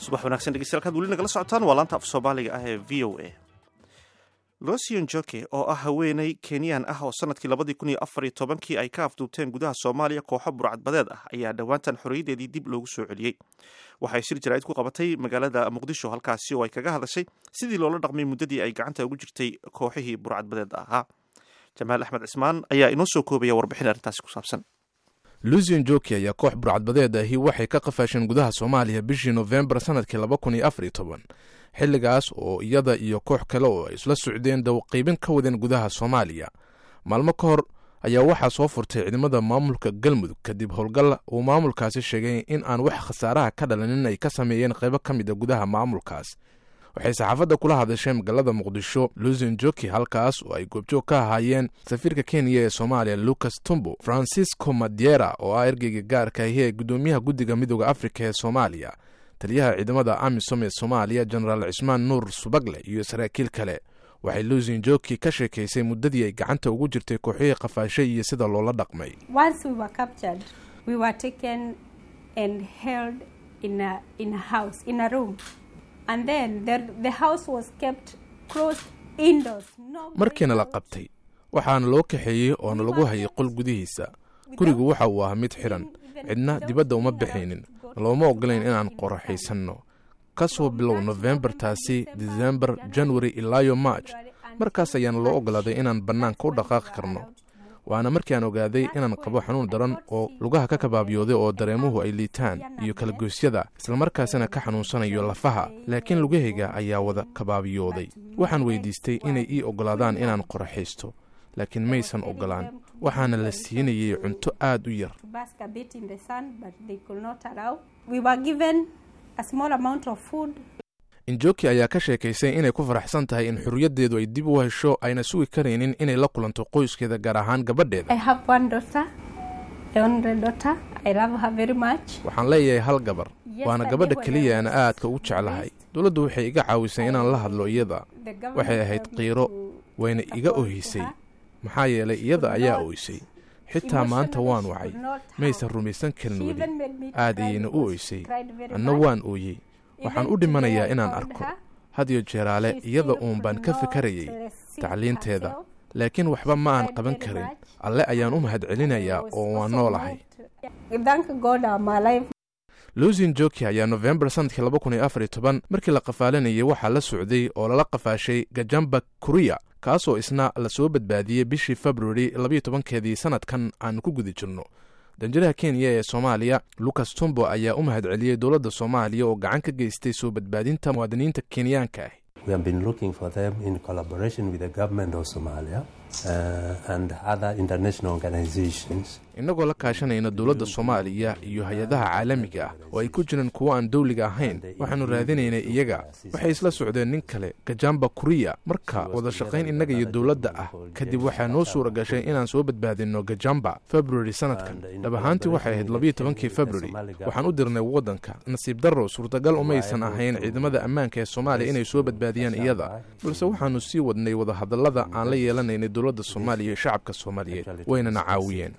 Subax wanaagsan, dhegeystayaal. Kaad weli nagala socotaan waa laanta af Soomaaliga ah ee VOA. Lucy Njoki oo ah haweeney Kenyan ah oo sanadkii 2014-kii ay ka afduubteen gudaha Soomaaliya kooxo burcadbadeed ah ayaa dhowaantan xorriyaddeedii dib loogu soo celiyey. Waxay shir jaraa'id ku qabatay magaalada Muqdisho, halkaasi oo ay kaga hadashay sidii loola dhaqmay muddadii ay gacanta ugu jirtay kooxihii burcadbadeed ahaa. Jamaal Axmed Cismaan ayaa inoo soo koobaya warbixin arrintaasi ku saabsan. Lucy Njoki ayaa koox burcadbadeed ahi waxay ka qafaasheen gudaha Soomaaliya bishii Nofembar sanadkii 2014, xilligaas oo iyada iyo koox kale oo ay isla socdeen dawqiibin ka wadeen gudaha Soomaaliya. Maalmo ka hor ayaa waxaa soo furtay ciidamada maamulka Galmudug kadib howlgal uu maamulkaasi sheegay in aan wax khasaaraha ka dhalanin ay ka sameeyeen qaybo ka mid a gudaha maamulkaas. Waxay saxaafadda kula hadashay magaalada Muqdisho Lucy Njoki, halkaas oo ay goobjoog ka ahaayeen safiirka Kenya ee Soomaaliya Lucas Tumbo, Francisco Madiera oo ah ergeyga gaarka ahi ee guddoomiyaha Guddiga Midooda Afrika ee Soomaaliya, taliyaha ciidamada AMISOM ee Soomaaliya Jenaraal Cismaan Nuur Subagle iyo saraakiil kale. Waxay Lucy Njoki ka sheekaysay muddadii ay gacanta ugu jirtay kooxihii qafaashay iyo sida loola dhaqmay. Once we were captured, we were taken and held in a house, in a room. And then the house was kept closed indoors. No Markiina la qabtay, waxaana loo kaxeeyey oona lagu hayay qol gudihiisa. Gurigu waxa uu ahaa mid xidhan, cidna dibadda uma bixaynin, looma ogolayn inaan qoraxaysanno. Ka soo bilow Nofembartaasi, Disembar, January ilaayo March, markaas ayaana loo ogolaaday inaan bannaanka u dhaqaaqi karno. Waana markii aan ogaaday inaan qabo xanuun daran oo lugaha ka kabaabiyooday oo dareemuhu ay liitaan iyo kalagoysyada, islamarkaasina ka xanuunsanayo lafaha, laakiin lugahayga ayaa wada kabaabiyooday. Waxaan weydiistay inay ii oggolaadaan inaan qoraxaysto, laakiin maysan oggolaan. Waxaana la siinayay cunto aad u yar. To bask a bit in the sun, but they could not allow. We were given a small amount of food. Njoki ayaa ka sheekaysay inay ku faraxsan tahay in xurriyaddeedu ay dib u hesho, ayna sugi karaynin inay la kulanto qoyskeeda, gaar ahaan gabadheeda. I have one daughter, the only daughter. I love her very much. Waxaan leeyahay hal gabar, waana gabadha keliya aan aadka ugu jeclahay. Dowladdu waxay iga caawisay inaan la hadlo iyada. Waxay ahayd qiiro, wayna iga ohisay, maxaa yeelay iyada ayaa oysay. Xitaa maanta waan wacay, maysan rumaysan karin weli. Aad ayayna u oysay, anna waan ooyey. Waxaan u dhimanayaa inaan arko. Had iyo jeeraale iyada uun baan ka fikarayay tacliinteeda, laakiin waxba ma aan qaban karin. Alle ayaan u mahadcelinayaa oo waan noolahay. Thank God I'm alive. Lucy Njoki ayaa Nofembar sanadkii 2014 markii la qafaalanayay waxaa la socday oo lala qafaashay Gajamba Kuriya, kaasoo isna lasoo badbaadiyey bishii February 12-keedii sanadkan aan ku guda jirno. Danjiraha Kenya ee Soomaaliya Lucas Tumbo ayaa u mahadceliyey dowladda Soomaaliya oo gacan ka geystay soo badbaadinta muwaadiniinta Kenyaanka ah. We have been looking for them in collaboration with the government of Somalia and other international organizations. Innagoo la kaashanayna dowladda Soomaaliya iyo hay-adaha caalamiga ah oo ay ku jiraan kuwo aan dowliga ahayn, waxaannu raadinaynay iyaga. Waxay isla socdeen nin kale, Gajamba Kuriya. Marka wada shaqayn innaga iyo dowladda ah kadib, waxaa noo suura gashay inaan soo badbaadinno Gajamba February sanadkan. Dhab ahaantii waxay ahayd 12-kii February waxaan u dirnay waddanka. Nasiib darrow, suurtagal umaysan ahayn ciidamada ammaanka ee Soomaaliya inay soo badbaadiyaan iyada, balse waxaannu sii wadnay wadahadallada aan la yeelanaynay dowladda Soomaaliya iyo shacabka Soomaaliyeed, waynana caawiyeen.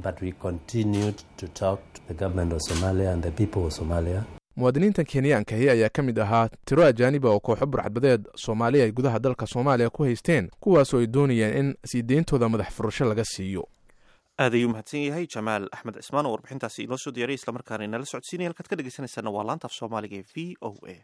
But we continued to talk to the government of Somalia and the people of Somalia. Muwaadiniintan Kenyaankahi ayaa ka mid ahaa tiro ajaaniba oo kooxo burcadbadeed Soomaaliya ay gudaha dalka Soomaaliya ku haysteen, kuwaasoo ay doonayeen in sii deyntooda madax furasho laga siiyo. Aad ayuu mahadsan yahay Jamaal Axmed Cismaan oo warbixintaasi inoo soo diyaariyay, islamarkaana inala socodsiinaya. Halkaad ka dhegeysanaysaana waa laanta af Soomaaliga ee VOA.